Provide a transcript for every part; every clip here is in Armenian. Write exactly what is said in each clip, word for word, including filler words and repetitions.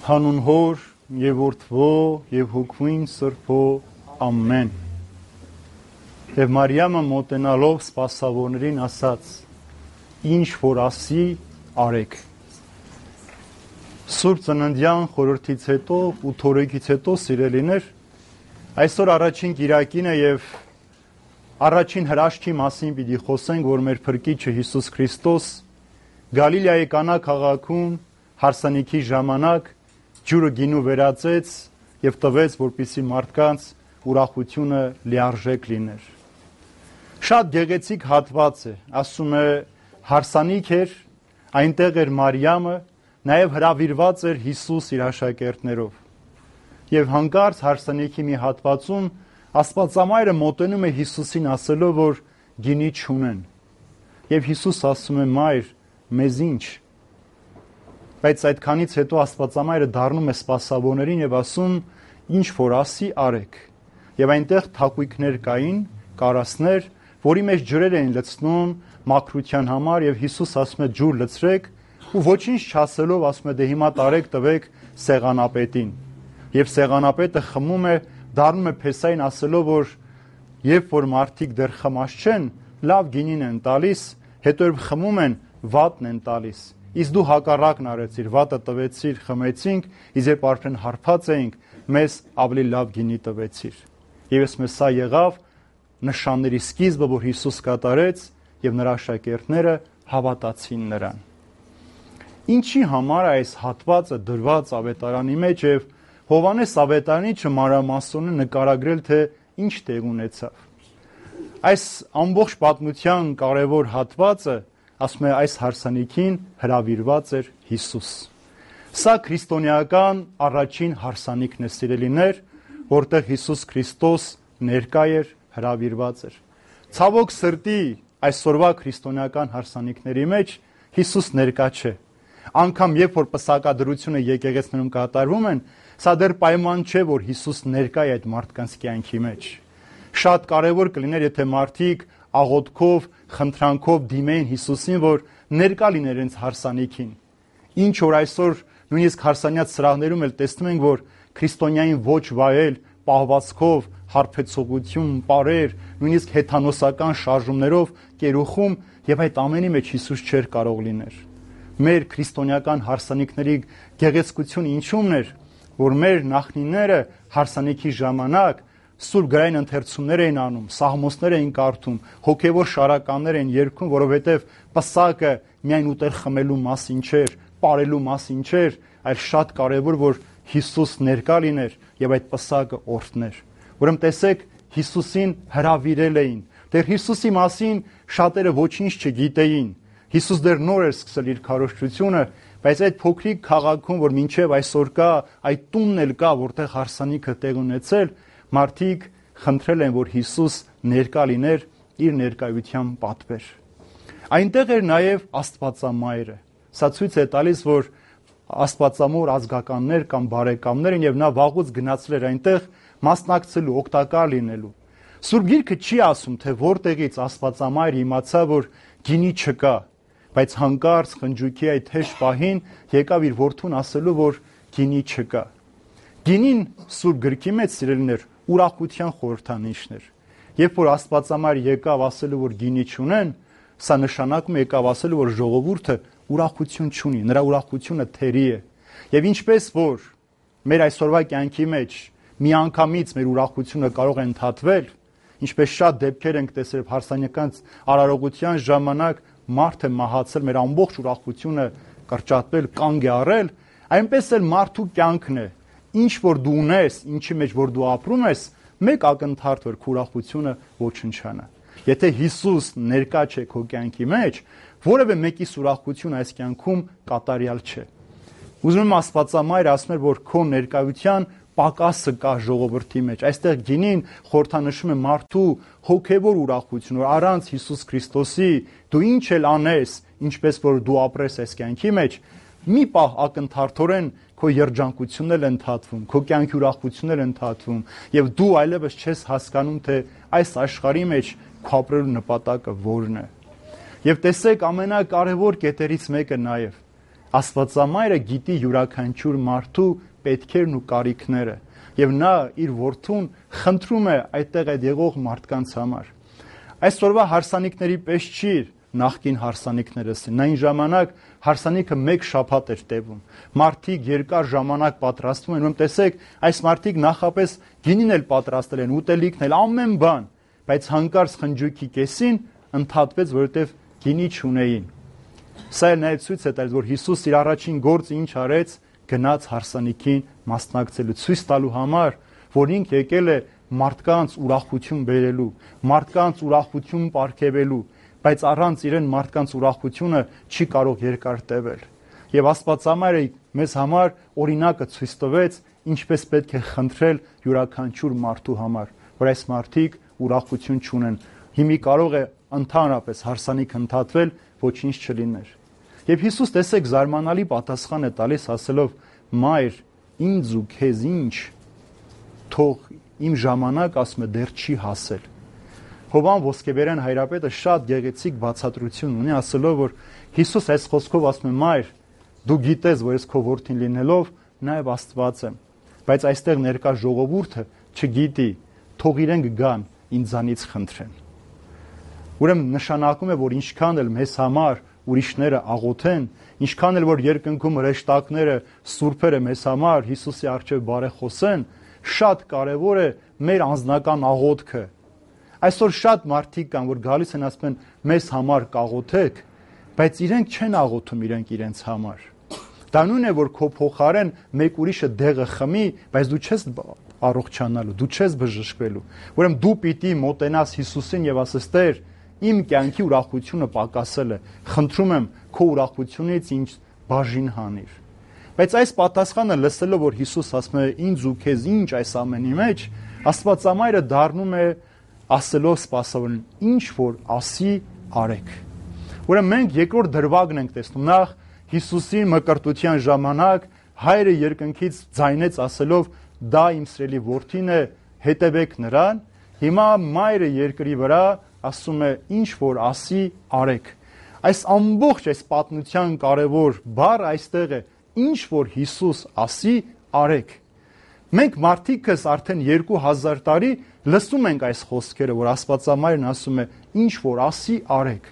Հանուն Հոր եւ Որդվո եւ Հոգուին Սրբո ամեն։ Եվ Մարիամը մոտենալով սպասավորներին ասաց. ինչ որ ասի արեք։ Սուրբ ծննդյան խորհրդից հետո ու թորեգից հետո սիրելիներ, այսօր առաջին կիրակին է եւ առաջին հրաշքի մասին պիտի խոսենք, որ մեր Փրկիչը Հիսուս Քրիստոս Գալիլեայի Կանա քաղաքում հարսանիքի ժամանակ ջուրը գինու վերածեց եւ տվեց, որպեսզի մարդկանց ուրախությունը լիարժեք լիներ։ Շատ գեղեցիկ հատված է, ասում է հարսանիք էր, այնտեղ էր Մարիամը, նաեւ հրավիրված էր Հիսուս իր աշակերտներով։ Եվ հանկարծ հարսանիքի մի հատվածում Աստվածամայրը մոտենում է Հիսուսին ասելով, որ գինի չունեն։ Եվ Հիսուս ասում է. «Մայր, մեզ ինչ»։ Բայց այդքանից հետո Աստվածամայրը դառնում է սպասավորներին եւ ասում. ինչ որ ասի արեք։ Եվ այնտեղ թակույկներ կային, կարասներ, որի մեջ ջրեր էին լցնում մաքրության համար, եւ Հիսուս ասում է ջուր լցրեք ու ոչինչ չասելով ասում է դե հիմա տարեք տվեք սեղանապետին։ Եվ սեղանապետը խմում է, դառնում է փեսային ասելով, որ երբ որ մարդիկ դեռ խմած չեն, լավ գինին են տալիս, հետո երբ խմում են, վատն են տալիս։ Իսկ դու հակառակն արեցիր, վատը տվեցիր, խմեցինք, իսկ երբ արդեն հարբած էինք, մեզ ավելի լավ գինի տվեցիր։ Եվ ես մեզ սա եղավ նշանների սկիզբը, որ Հիսուս կատարեց, եւ նրա աշակերտները հավատացին նրան։ Ինչի համար է այս հատվածը դրված ավետարանի մեջ եւ Հովանես ավետարանիչը մանրամասն է նկարագրել, թե ինչ տեղ ունեցավ։ Այս ամբողջ պատմության կարևոր հատվածը ասում է այս հարսանիքին հրավիրված էր Հիսուս։ Սա քրիստոնեական առաջին հարսանիքն է, սիրելիներ, որտեղ Հիսուս Քրիստոս ներկա էր, հրավիրված էր։ Ցավոք սրտի այսօրվա քրիստոնեական հարսանիքների մեջ Հիսուս ներկա չէ։ Անկամ երբ որ պսակադրությունը եկեղեցիներում կատարվում են, սա դեռ պայման չէ, որ Հիսուս ներկա է այդ մարդկանց կյանքի մեջ։ Շատ կարևոր կլիներ, եթե մարդիկ աղոթքով, խնդրանքով դիմեին Հիսուսին, որ ներկա լիներ իրենց հարսանիքին։ Ինչ որ այսօր նույնիսկ հարսանյաց սրահներում էլ տեսնում ենք, որ քրիստոնյային ոչ վայել, պահվածքով, հարբեցողություն, պարեր, նույնիսկ հեթանոսական շարժումներով կերուխում, եւ այդ ամենի մեջ Հիսուս չէր կարող լիներ։ Մեր քրիստոնեական հարսանիքների գեղեցկությունը ինչու՞մն էր, որ մեր նախնիները հարսանիքի ժամանակ սուրբ գրային ընթերցումներ էին անում, սաղմոսներ էին կարդում, հոգևոր շարականներ էին երգում, որովհետև պսակը միայն ուտել խմելու մասին չէր, պարելու մասին չէր, այլ շատ կարևոր որ Հիսուս ներկա լիներ եւ այդ պսակը օրհներ։ Ուրեմն տեսեք, Հիսուսին հրավիրել էին։ Դեռ Հիսուսի մասին շատերը ոչինչ չգիտեին։ Հիսուս դեռ նոր էր սկսել իր քարոզչությունը, բայց այդ փոքրիկ քաղաքում, որ մինչև այսօր կա, այդ տունն էլ կա, որտեղ հարսանիքը տեղ ունեցել, մարդիկ խնդրել են, որ Հիսուս ներկա լիներ, իր ներկայությամբ պատվեր։ Այնտեղ էր նաև Աստվածամայրը։ Սա ցույց է տալիս, որ Աստվածամոր ազգականներ կամ բարեկամներ են եւ նա վաղուց գնացել էր այնտեղ մասնակցելու, օգտակար լինելու։ Սուրբ Գիրքը չի ասում, թե որտեղից Աստվածամայրը իմացավ, որ գինի չկա, բայց հանկարծ խնջույքի այդ հեշտ պահին եկավ իր որդուն ասելու, որ գինի չկա։ Գինին Սուրբ Գրքի մեջ սիրելիներ ուրախության խորհրդանիշն էր։ Երբ որ Աստվածամայր եկավ ասելու, որ գինի չունեն, սա նշանակում է եկավ ասելու, որ ժողովուրդը ուրախություն չունի, նրա ուրախությունը թերի է։ Եվ ինչպես որ մեր այսօրվա կյանքի մեջ միանգամից մեր ուրախությունը կարող է ընդհատվել, ինչպես շատ դեպքեր ենք տեսել հարսանեկան արարողության ժամանակ մարդը մահացել, մեր ամբողջ ուրախությունը կրճատվել, կանգ է առել, այնպես էլ մարդու կյանքն է։ Ինչ որ դու ունես, ինչի մեջ որ դու ապրում ես, մեկ ակնթարթ որ քո ուրախությունը ոչնչանա։ Եթե Հիսուս ներկա չէ քո կյանքի մեջ, որևէ մեկիս ուրախություն այս կյանքում կատարյալ չէ։ Ուզում եմ Աստվածամայրը ասում էր, որ քո ներկայության պակասը կա ժողովրդի մեջ։ Այստեղ գինին խորհրդանշում է մարդու հոգևոր ուրախություն, որ առանց Հիսուս Քրիստոսի դու ինչ էլ անես, ինչպես որ դու ապրես այս կյանքի մեջ, մի պահ ակնթարթորեն քո երջանկությունն էլ ընդհատվում, քո կյանքի ուրախությունն էլ ընդհատվում, եւ դու այլևս չես հասկանում, թե այս աշխարհի մեջ քո ապրելու նպատակը որն է։ Եվ տեսեք ամենակարևոր կետերից մեկը նաեւ Աստվածամայրը գիտի յուրաքանչյուր մարդու պետքերն ու կարիքները, եւ նա իր որդուն խնդրում է այդտեղ այդ եղող մարդկանց համար։ Այսօրվա հարսանիքների պես չի նախկին հարսանիքներս, նայն ժամանակ հարսանիքը մեկ շաբաթ էր տևում։ Մարդիկ երկար ժամանակ պատրաստվում են, ում տեսեք, այս մարդիկ նախապես գինին էլ պատրաստել են, ուտելիքն էլ, ամեն բան, բայց հանկարծ խնջույքի կեսին ընդհատվեց, որովհետև գինի չունեին։ Սա էլ նաև ցույց է տալիս, որ Հիսուս իր առաջին գործը ինչ արեց, գնաց հարսանիքին մասնակցելու, ցույց տալու համար, որ ինք եկել է մարդկանց ուրախություն բերելու, մարդկանց ուրախություն պարգևելու, բայց առանց իրեն մարդկանց ուրախությունը չի կարող երկար տևել։ Եվ Աստվածամայրը մեզ համար օրինակը ցույց տվեց, ինչպես պետք է խնդրել յուրաքանչյուր մարդու համար, որ այս մարդիկ ուրախություն չունեն։ Հիմի կարող է ընդհանրապես հարսանիք ընդհատվել, ոչինչ չլիներ։ Եվ Հիսուս տեսեք զարմանալի պատասխան է տալիս, ասելով. «Մայր, ինձ ու քեզ ինչ, թող իմ ժամանակ, ասում է, դեռ չի հասել»։ Հովան Ոսկեբերյան հայրապետը շատ գեղեցիկ բացատրություն ունի, ասելով, որ Հիսուս այս խոսքով ասում է. «Մայր, դու գիտես, որ ես քո որդին լինելով նաև Աստված եմ, բայց այստեղ ներկա ժողովուրդը չգիտի, թող իրենք գան ինձանից խնդրեն»։ Ուրեմն նշանակում է, որ ինչքան էլ մեզ համար ուրիշները աղոթեն, ինչքան էլ որ երկնքում հրեշտակները, սուրբերը մեզ համար Հիսուսի առջև բարեխոսեն, շատ կարևոր է մեր անձնական աղոթքը։ Այսօր շատ մարդիկ կան, որ գալիս են ասում են մեզ համար կաղոթեք, բայց իրենք չեն աղոթում իրենք իրենց համար։ Դա նույնն է, որ քո փոխարեն մեկ ուրիշը դեղը խմի, բայց դու չես առողջանալու, դու չես բժշկվելու։ Ուրեմն դու պիտի մոտենաս Հիսուսին եւ ասես. «Տեր, իմ կյանքի ուրախությունը պակասել է, խնդրում եմ քո ուրախությունից ինձ բաժին հանիր»։ Բայց այս պատասխանը լսելով, որ Հիսուս ասում է ինձ ու քեզ ինչ այս ամենի մեջ, Աստվածամայրը դառնում է ասելով սպասավորին. «Ինչ որ ասի, արեք»։ Ուրեմն մենք երկրորդ դրվագն ենք տեսնում։ Նախ Հիսուսի մկրտության ժամանակ հայրը երկնքից ձայնեց ասելով. «Դա իմ սիրելի որդին է, հետևեք նրան»։ Հիմա մայրը երկրի վրա ասում է. «Ինչ որ ասի, արեք»։ Այս ամբողջ այս պատմության կարևոր բառը այստեղ է. «Ինչ որ Հիսուս ասի, արեք»։ Մենք մարդիկս արդեն երկու հազար տարի լսում ենք այս խոսքերը, որ Աստվածամայրն ասում է. «Ինչ որ ասի, արեք»։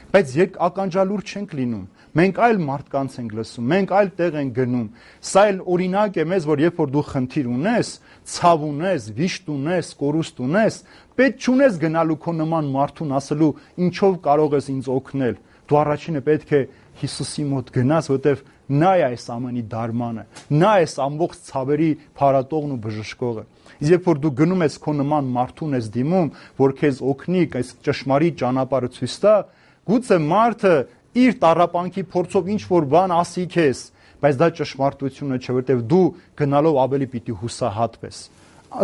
Բայց երբ ականջալուր չենք լինում, մենք այլ մարդկանց ենք լսում, մենք այլ տեղ ենք գնում։ Սա էլ օրինակ է մեզ, որ երբ որ դու խնդիր ունես, ցավ ունես, վիշտ ունես, կորուստ ունես, պետք չունես գնալու քո նման մարդուն ասելու ինչով կարող ես ինձ օգնել։ Դու առաջինը պետք է Հիսուսի մոտ գնաս, որտեվ նա է այս ամենի դարմանը, նա է այս ամբողջ ցավերի փարատողն ու բժշկողը։ Իսկ երբ որ դու գնում ես քո նման մարդուն ես դիմում, որ քեզ օգնի, այս ճշմարիտ ճանապարհը ցույց տա, գուցե մարդը իր տառապանքի փորձով ինչ որ բան ասի քեզ, բայց դա ճշմարտությունը չէ, որտեվ դու գնալով ավելի պիտի հուսահատվես։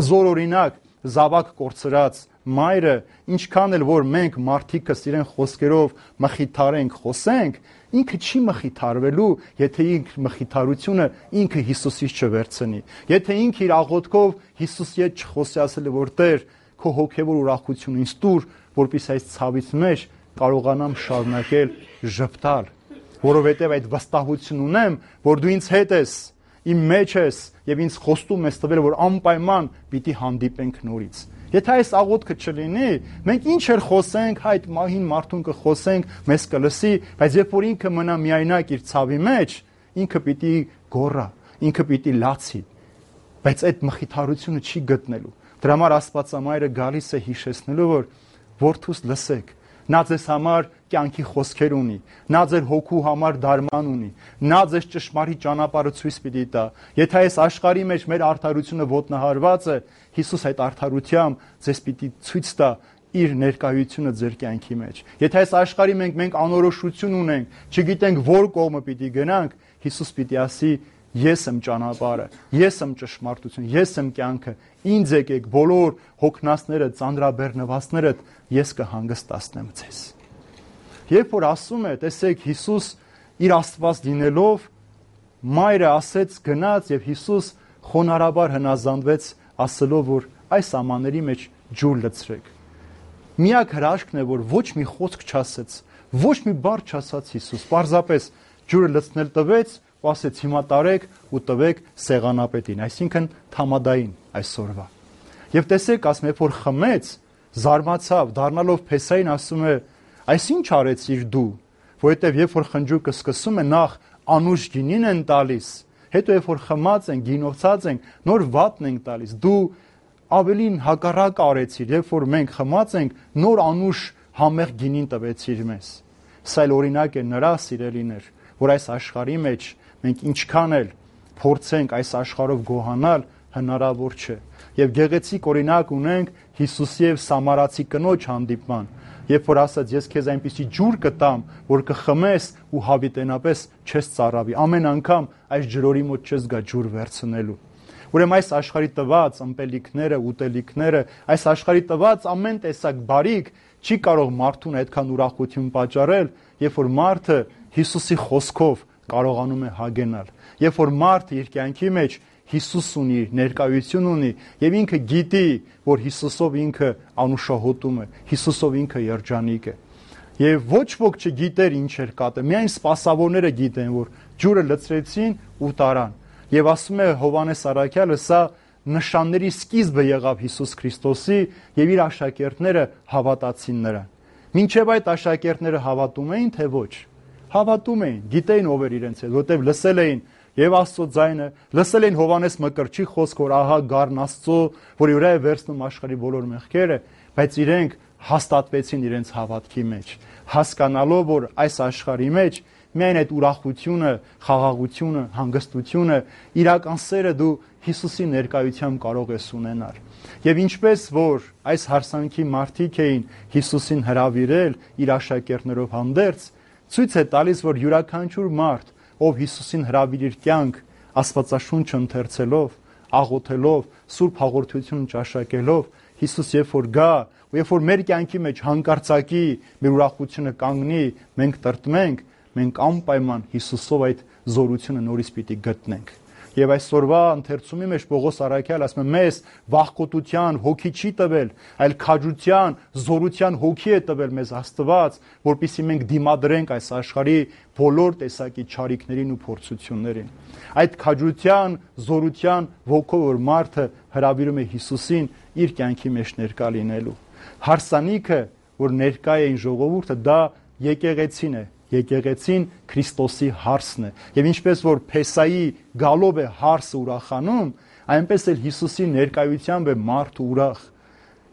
Զոր օրինակ զավակ կորցրած մայրը, ինչքան էլ որ մենք մարդիկս իրեն խոսքերով մխիթարենք, խոսենք, ինքը չի մխիթարվելու, եթե ինքը մխիթարությունը ինքը Հիսուսից չվերցնի։ Եթե ինքը իր աղոթքով Հիսուսի հետ չխոսի, ասել որ Տեր, քո հոգևոր ուրախությունը ինձ տուր, որպեսզի այս ցավից մեջ կարողանամ շարունակել ժպտալ, որովհետև այդ վստահություն ունեմ, որ դու ինձ հետ ես, իմ մեջ ես եւ ինձ խոստում ես տվել, որ անպայման պիտի հանդիպենք նորից։ Եթե այս աղոթքը չլինի, մենք ինչ էլ խոսենք, այդ մահին մարդուն կխոսենք, մեզ կլսի, բայց երբ որ ինքը մնա միայնակ իր ցավի մեջ, ինքը պիտի գոռա, ինքը պիտի լացի, բայց այդ մխիթարությունը չի գտնելու։ Դրա համար Աստվածամայրը գալիս է հիշեցնելու, որ որդուս լսեք, նա ձեզ համար կյանքի խոսքեր ունի, նա ձեր հոգու համար դարման ունի, նա ձեզ ճշմարիտ ճանապարհը ցույց պիտի տա։ Եթե այս աշխարհի մեջ մեր արդարությունը ոտնահարված է, Հիսուս այդ արդարությամբ ձեզ պիտի ցույց տա իր ներկայությունը ձեր կյանքի մեջ։ Եթե այս աշխարհի մենք մենք անորոշություն ունենք, չգիտենք որ կողմը պիտի գնանք, Հիսուս պիտի ասի. Ես եմ ճանապարհը, ես եմ ճշմարտությունը, ես եմ կյանքը, ինձ եկեք բոլոր հոգնածները, ծանրաբեռնվածներդ, ես կհանգստացնեմ ձեզ։ Երբ որ ասում է, տեսեք, Հիսուս իր Աստված լինելով, մայրը ասեց գնաց եւ Հիսուս խոնարհաբար հնազանդվեց, ասելով, որ այս ամանների մեջ ջուր լցրեք։ Միակ հրաշքն է, որ ոչ մի խոսք չասեց, ոչ մի բառ չասաց Հիսուս, պարզապես ջուրը լցնել տվեց ու ասեց հիմա տարեք ու տվեք սեղանապետին, այսինքն թամադային այսօրվա։ Եվ տեսեք, ասում է, որ խմեց, զարմացավ, դառնալով Փեսային ասում է, այս ինչ արեցիր դու, որովհետև երբ որ խնջուկը սկսում է, նախ անուշ գինին են տալիս, հետո երբ որ խմած են, գինովցած են, նոր վատն են տալիս, դու ավելին հակառակ արեցիր, երբ որ մենք խմած ենք, նոր անուշ համեղ գինին տվեցիր մեզ։ Սա էլ օրինակ է նրա, սիրելիներ, որ այս աշխարհի մեջ մենք ինչքան էլ փորձենք այս աշխարհով գոհանալ, հնարավոր չէ։ Եվ գեղեցիկ օրինակ ունենք Հիսուսի եւ Սամարացի կնոջ հանդիպման, երբ որ ասաց ես քեզ այնպիսի ջուր կտամ, որ կխմես ու հավիտենապես չես ծարավի, ամեն անգամ այս ջրորի մոտ չես գա ջուր վերցնելու։ Ուրեմն այս աշխարհի տված ըմպելիքները, ուտելիքները, այս աշխարհի տված ամեն տեսակ բարիք չի կարող մարդուն այդքան ուրախություն պատճառել, երբ որ մարդը Հիսուսի խոսքով կարողանում է հագենալ, երբ որ մարդը իր կյանքի մեջ Հիսուս ունի, ներկայություն ունի եւ ինքը գիտի, որ Հիսուսով ինքը անուշահոտում է, Հիսուսով ինքը երջանիկ է։ Եվ ոչ ոք չգիտեր ինչ էր կատը, միայն սպասավորները գիտեն, որ ջուրը լցրեցին ու տարան։ Եվ ասում է Հովհաննես Առաքյալը, սա նշանների սկիզբը եղավ Հիսուս Քրիստոսի եւ իր աշակերտները հավատացին նրան։ Մինչեւ այդ աշակերտները հավատում էին, թե ոչ։ Հավատում էին, գիտեին ով էր իրենց հետ, որտեվ լսել էին եւ Աստծո ձայնը, լսել էին Հովհաննես Մկրտչի խոսք, որ ահա գառն Աստծո, որի վրա է վերցնում աշխարհի բոլոր մեղքերը, բայց իրենք հաստատվեցին իրենց հավատքի մեջ, հասկանալով, որ այս աշխարհի մեջ միայն այդ ուրախությունը, խաղաղությունը, հանգստությունը, իրական սերը դու Հիսուսի ներկայությամբ կարող ես ունենալ։ Եվ ինչպես որ այս հարսանքի մարդիկ էին Հիսուսին հրավիրել իր աշակերտներով հանդերձ, ցույց է տալիս, որ յուրաքանչյուր մարդ, ով Հիսուսին հրավիրիր կյանք, Աստվածաշունչը ընթերցելով, աղոթելով, սուրբ հաղորդություն ճաշակելով, Հիսուս երբ որ գա, ու երբ որ մեր կյանքի մեջ հանկարծակի մեր ուրախությունը կանգնի, մենք տրտմենք, մենք անպայման Հիսուսով այդ զորությունը նորից պիտի գտնենք։ Եվ այսօրվա ընթերցումի մեջ Պողոս Առաքյալը ասում է, մեզ վախկոտության հոգի չի տվել, այլ քաջության, զորության հոգի է տվել մեզ Աստված, որպեսզի մենք դիմադրենք այս աշխարհի բոլոր տեսակի չարիքներին ու փորձություններին։ Այդ քաջության, զորության ոգով որ մարդը հրավիրում է Հիսուսին իր կյանքի մեջ ներկա լինելու։ Հարսանիքը, որ ներկա է այն ժողովուրդը, դա եկեղեցին է, եկեղեցին Քրիստոսի հարսն է։ Եվ ինչպես որ Փեսայի գալով է հարսը ուրախանում, այնպես էլ Հիսուսի ներկայությամբ է մարդը ուրախ։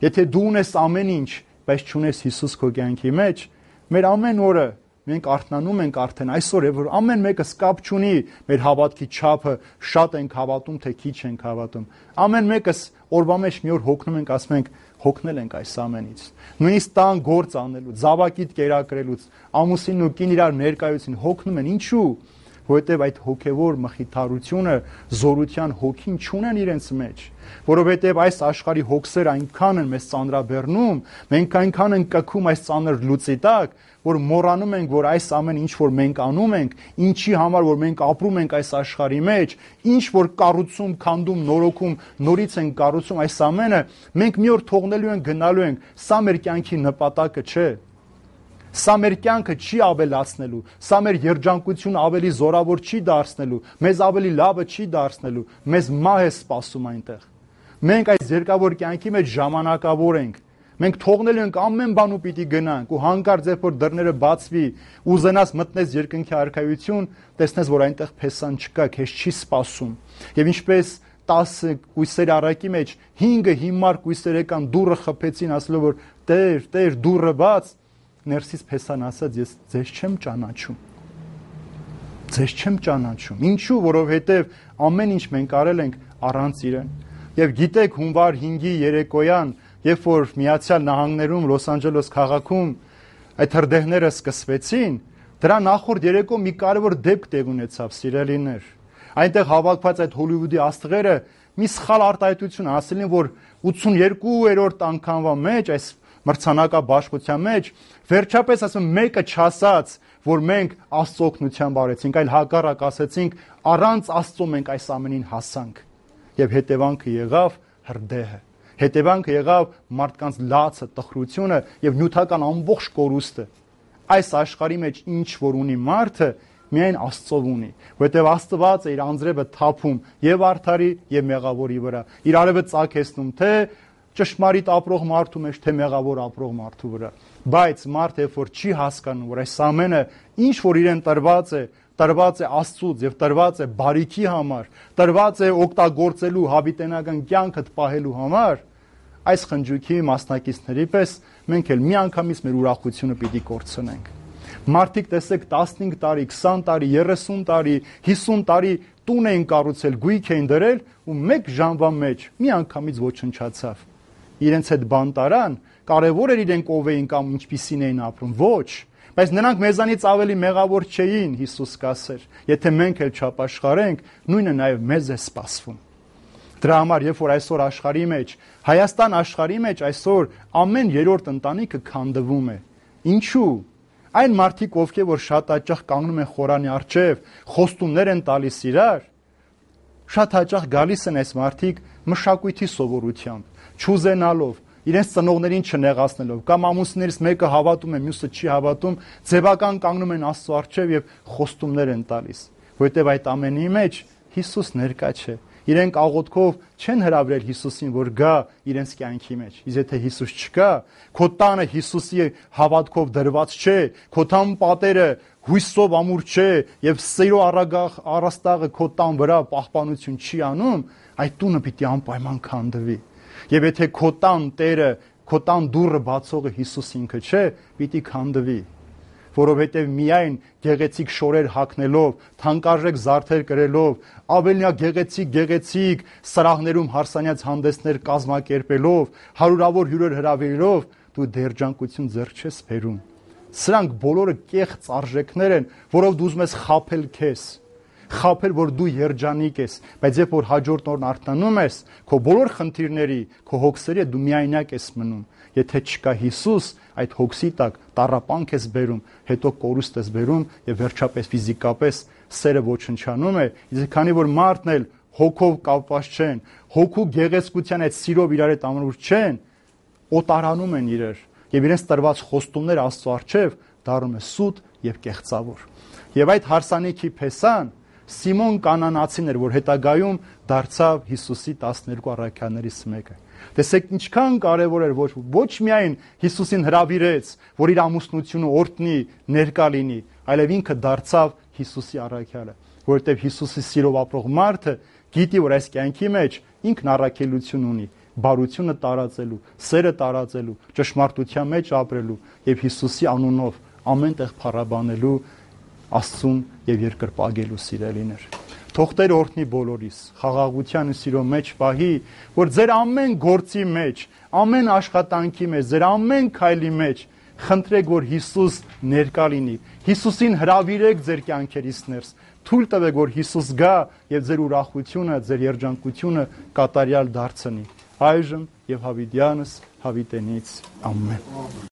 Եթե դու ունես ամեն ինչ, բայց չունես Հիսուս քո կյանքի մեջ, մեր ամեն օրը մենք արթնանում ենք արդեն այսօր, որ ամեն մեկս կապ չունի մեր հավատքի չափը, շատ ենք հավատում, թե քիչ ենք հավատում։ Ամեն մեկս օրվա մեջ մի օր հոգնում ենք, ասում ենք, հոգնել ենք այս ամենից։ Նույնիսկ տան գործ անելուց, զավակիդ կերակրելուց, ամուսինն ու կին իրար ներկայություն հոգնում են, ինչու՞։ Որովհետև այդ հոգևոր մխիթարությունը, զորության հոգին չունեն իրենց մեջ, որովհետև այս աշխարհի հոգսերը այնքան են մեզ ծանրաբեռնում, մենք այնքան ենք կքում այս ծանր լուծի տակ, որ մոռանում ենք, որ այս ամեն ինչ որ մենք անում ենք, ինչի համար որ մենք ապրում ենք այս աշխարհի մեջ, ինչ որ կառուցում, քանդում, նորոգում, նորից ենք կառուցում այս ամենը, մենք մի օր թողնելու ենք, գնալու ենք, սա մեր կյանքի նպատակը չէ։ Սա մեր կյանքը չի ավելացնելու, սա մեր երջանկությունը ավելի զորավոր չի դարձնելու, մեզ ավելի լավը չի դարձնելու, մեզ մահ է սպասում այնտեղ։ Մենք այս երկավոր կյանքի մեջ ժամանակավոր ենք։ Մենք թողնելու ենք ամեն բան ու պիտի գնանք ու հանկարծ երբ որ դռները բացվի, ուզենաս մտնես երկնքի արքայություն, տեսնես որ այնտեղ փեսան չկա, քեզ չի սպասում։ Եվ ինչպես տասը կույսեր առակի մեջ հինգը հիմար կույսեր եկան դուռը խփեցին, ասելով որ Տեր, Տեր, դուռը բաց, ներսից փեսան ասաց ես ձեզ չեմ ճանաչում։ Ձեզ չեմ ճանաչում։ Ինչու՞, որովհետև ամեն ինչ մենք արել ենք առանց իրեն։ Եվ գիտեք հունվար հինգի երեկոյան, երբ որ Միացյալ Նահանգներում, Լոս Անջելես քաղաքում այդ հրդեհները սկսվեցին, դրա նախորդ երեկո մի կարևոր դեպք տեղ ունեցավ, սիրելիներ։ Այնտեղ հավաքված այդ Հոլիվուդի աստղերը մի սխալ արտահայտություն ասել են, որ ութսունյոթերորդ անգամվա մեջ այս մրցանակաբաշխության մեջ վերջապես ասում մեկը չասաց, որ մենք Աստծո օգնությամբ արեցինք, այլ հակառակ ասեցինք առանց Աստծո մենք այս ամենին հասանք։ Եվ հետևանքը եղավ հրդեհը։ Հետևանքը եղավ մարդկանց լացը, տխրությունը եւ նյութական ամբողջ կորուստը։ Այս աշխարհի մեջ ինչ որ ունի մարդը, միայն Աստծով ունի, որովհետև Աստված է իր անձրևը թափում եւ արդարի եւ մեղավորի վրա։ Իր արևը ծագեցնում թե ճշմարիտ ապրող մարդու մեջ, թե մեղավոր ապրող մարդու վրա։ Բայց մարդը երբ որ չի հասկանում, որ այս ամենը ինչ որ իրեն տրված է, տրված է Աստծուց եւ տրված է բարիքի համար, տրված է օգտագործելու հավիտենական կյանքը պահելու համար, այս խնջույքի մասնակիցների պես մենք էլ միանգամից մեր ուրախությունը պիտի կորցնենք։ Մարդիկ տեսեք տասնհինգ տարի, քսան տարի, երեսուն տարի, հիսուն տարի տուն էին կառուցել, գույք էին դրել ու մեկ ժամվա մեջ միանգամից ոչնչացավ։ Իրենց հետ բան տարան, կարևոր էր իրենք ով էին կամ ինչպիսին էին ապրում, ոչ, բայց նրանք մեզանից ավելի մեղավոր չէին, Հիսուս կասեր, եթե մենք էլ չապաշխարենք, նույնը նաև մեզ է սպասվում։ Դրա համար, երբ որ այսօր աշխարհի մեջ, Հայաստան աշխարհի մեջ այսօր ամեն երրորդ ընտանիքը քանդվում է։ Ինչու՞։ Այն մարդիկ, ովքեր որ շատ հաճախ կանգնում են խորանի առջև, խոստումներ են տալիս իրար, շատ հաճախ գալիս են այս մարդիկ մշակույթի սովորությամբ, չուզենալով, իրենց ծնողներին չնեղացնելով, կամ ամուսներից մեկը հավատում է, մյուսը չի հավատում, ձևական կանգնում են Աստծո առջև եւ խոստումներ են տալիս, որովհետեւ այդ ամենի մեջ Հիսուս ներկա չէ։ Իրենք աղոթքով չեն հրավիրել Հիսուսին, որ գա իրենց կյանքի մեջ։ Իսկ եթե Հիսուս չկա, քո տանը Հիսուսի հավատքով դրված չէ, քո տան պատերը հույսով ամուր չէ եւ սիրո առագաղ առաստաղը քո տան վրա պահպանություն չի անում, այդ տունը պիտի անպայման քանդվի։ Եվ եթե քո տան Տերը, քո տան դուռը բացողը Հիսուս ինքը չէ, պիտի քանդվի։ Որովհետև միայն գեղեցիկ շորեր հագնելով, թանկարժեք զարդեր կրելով, ավելնյա գեղեցիկ գեղեցիկ սրահներում հարսանյաց հանդեսներ կազմակերպելով, հարյուրավոր հյուրեր հրավիրելով, դու դերջանկություն ձեռք չես բերում։ Սրանք բոլորը կեղծ արժեքներ են, որով դու ուզում ես խաբել քեզ, խաբել, որ դու երջանիկ ես, բայց երբ որ հաջորդ օրն արթնանում ես, քո բոլոր խնդիրների, քո հոգսերի դու միայնակ ես մնում։ Եթե չկա Հիսուս, այդ հոգսի տակ տառապանք ես բերում, հետո կորուստ ես բերում եւ վերջապես ֆիզիկապես սերը ոչնչանում է, իսկ քանի որ մարդն էլ հոգով կապված չեն, հոգու գեղեցկության այդ սիրով իրար հետ ամրուր չեն, օտարանում են իրար եւ իրենց տրված խոստումները Աստծո առջև դառնում է սուտ եւ կեղծավոր։ Եվ այդ հարսանիքի փեսան Սիմոն կանանացին էր, որ հետագայում դարձավ Հիսուսի տասներկու առաքյալներից մեկը։ Տեսեք ինչքան կարևոր էր, որ ոչ միայն Հիսուսին հրավիրեց, որ իր ամուսնությունը օրհնի, ներկա լինի, այլև ինքը դարձավ Հիսուսի առաքյալը, որովհետև Հիսուսի սիրով ապրող մարդը գիտի, որ այս կյանքի մեջ ինքն առաքելություն ունի, բարությունը տարածելու, սերը տարածելու, ճշմարտության մեջ ապրելու եւ Հիսուսի անունով ամեն տեղ փառաբանելու Աստծուն եւ երկրպագելու սիրելիներ։ Թող Տեր օրհնի բոլորիս, խաղաղության ու սիրո մեջ պահի, որ ձեր ամեն գործի մեջ, ամեն աշխատանքի մեջ, ձեր ամեն քայլի մեջ խնդրեք, որ Հիսուս ներկա լինի։ Հիսուսին հրավիրեք ձեր կյանքերից ներս։ Թույլ տվեք, որ Հիսուս գա եւ ձեր ուրախությունը, ձեր երջանկությունը կատարյալ դարձնի։ Այժմ եւ հավիտյանս հավիտենից ամեն։